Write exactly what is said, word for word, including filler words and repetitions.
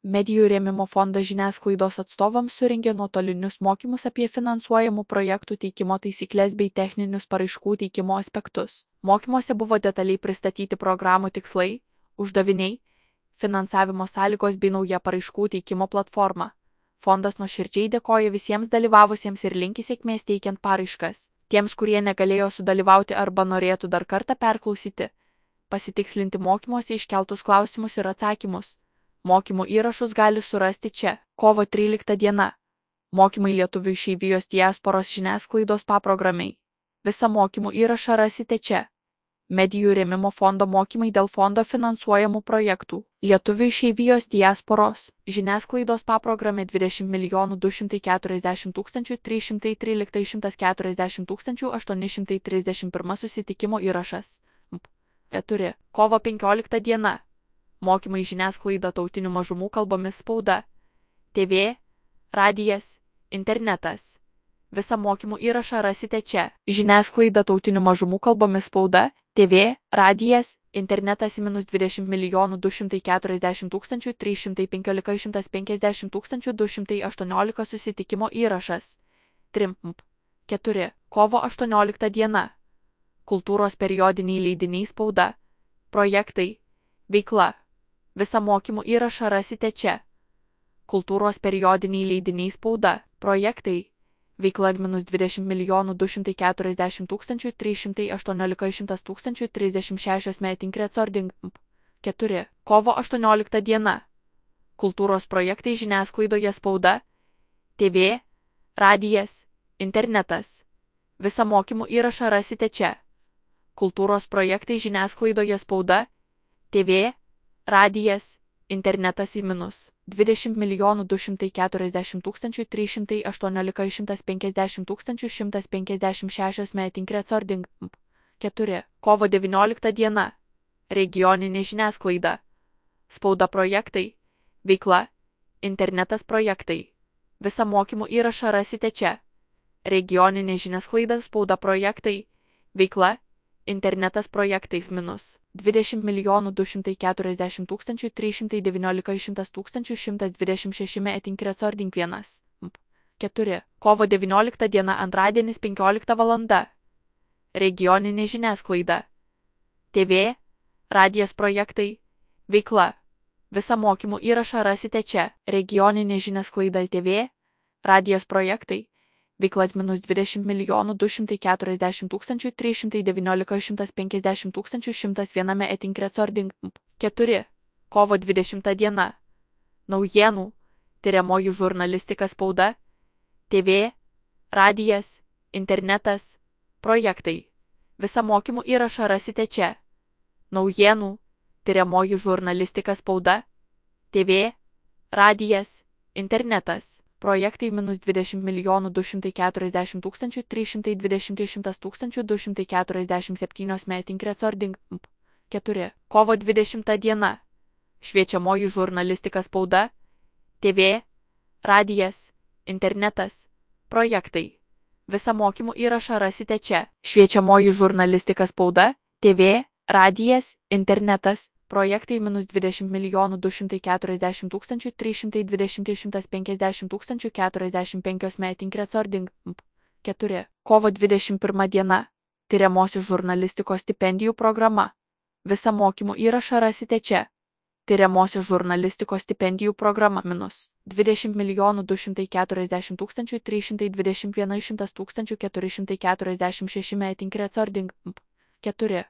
Medijų rėmimo fondas žiniasklaidos atstovams surengė nuotolinius mokymus apie finansuojamų projektų teikimo taisyklės bei techninius paraiškų teikimo aspektus. Mokymuose buvo detaliai pristatyti programų tikslai, uždaviniai, finansavimo sąlygos bei nauja paraiškų teikimo platforma. Fondas nuoširdžiai dėkoja visiems dalyvavusiems ir linki sėkmės teikiant paraiškas. Tiems, kurie negalėjo sudalyvauti arba norėtų dar kartą perklausyti, pasitikslinti mokymuose iškeltus klausimus ir atsakymus. Mokymų įrašus gali surasti čia. Kovo trylikta diena. Mokymai lietuvių išeivijos diasporos žiniasklaidos paprogramiai. Visą mokymų įrašą rasite čia. Medijų rėmimo fondo mokymai dėl fondo finansuojamų projektų. Lietuvių išeivijos diasporos žiniasklaidos paprogramė dvidešimt milijonų du šimtai keturiasdešimt tūkstančių trys šimtai trylika šimtas keturiasdešimt tūkstančių aštuoni šimtai trisdešimt vienas susitikimo įrašas. keturi. Kovo penkiolikta diena. Mokymai žiniasklaida tautinių mažumų kalbomis spauda, T V, radijas, internetas. Visą mokymų įrašą rasite čia. Žiniasklaida tautinių mažumų kalbomis spauda, T V, radijas, internetas minus dvidešimt milijonų du šimtai keturiasdešimt tūkstančių trys šimtai penkiolika šimtas penkiasdešimt tūkstančių du šimtai aštuoniolika susitikimo įrašas. trim. keturi. Kovo aštuoniolikta diena. Kultūros periodiniai leidiniai spauda, projektai, veikla. Visą mokymų įrašą rasite čia. Kultūros periodiniai leidiniai spauda, projektai, veikla minus dvidešimt milijonų du šimtai keturiasdešimt tūkstančių trys šimtai aštuoniolika šimtas tūkstančių trisdešimt šešios metink recording. keturi. Kovo aštuoniolikta diena. Kultūros projektai žiniasklaidoje spauda, T V, radijas, internetas. Visą mokymų įrašą rasite čia. Kultūros projektai žiniasklaidoje spauda, T V, radijas, internetas į minus dvidešimt milijonų du šimtai keturiasdešimt tūkstančių trys šimtai aštuoniolika šimtas penkiasdešimt tūkstančių šimtas penkiasdešimt šešios metink recording. keturi. Kovo devyniolikta diena. Regioninė žiniasklaida. Spauda projektai, veikla, internetas projektai. Visą mokymų įrašą rasite čia. Regioninė žiniasklaida spauda projektai, veikla, internetas projektais minus dvidešimt milijonų du šimtai keturiasdešimt tūkstančių trys šimtai devyniolika šimtas tūkstančių šimtas dvidešimt šeši metink recording vienas. keturi. Kovo devyniolikta diena antradienis penkiolikta valanda. Regioninė žiniasklaida. T V, radijas projektai, veikla. Visą mokymų įrašą rasite čia. Regioninė žiniasklaida T V, radijas projektai, veikla minus dvidešimt milijonų du šimtai keturiasdešimt tūkstančių trys šimtai devyniolika šimtas penkiasdešimt tūkstančių šimtas vienas metink recording. keturi. Kovo dvidešimta diena. Naujienų, tyriamoji žurnalistika spauda, T V, radijas, internetas, projektai. Visą mokymų įrašą rasite čia. Naujienų, tyriamoji žurnalistika spauda, T V, radijas, internetas. Projektai minus dvidešimt milijonų du šimtai keturiasdešimt tūkstančių trys šimtai dvidešimt šimtas tūkstančių du šimtai keturiasdešimt septynios metink recording. keturi. Kovo dvidešimta diena. Šviečiamoji žurnalistika spauda, T V, radijas, internetas, projektai. Visą mokymų įrašą rasite čia. Šviečiamoji žurnalistika spauda, T V, radijas, internetas, projektai minus dvidešimt milijonų du šimtai keturiasdešimt tūkstančių trys šimtai dvidešimt šimtas penkiasdešimt tūkstančių keturiasdešimt penkios metink recording. keturi. Kovo dvidešimt pirma diena. Tyriamosios žurnalistikos stipendijų programa. Visą mokymų įrašą rasite čia. Tyriamosios žurnalistikos stipendijų programa minus dvidešimt milijonų du šimtai keturiasdešimt tūkstančių trys šimtai dvidešimt vienas šimtas tūkstančių keturi šimtai keturiasdešimt šeši metink recording. keturi.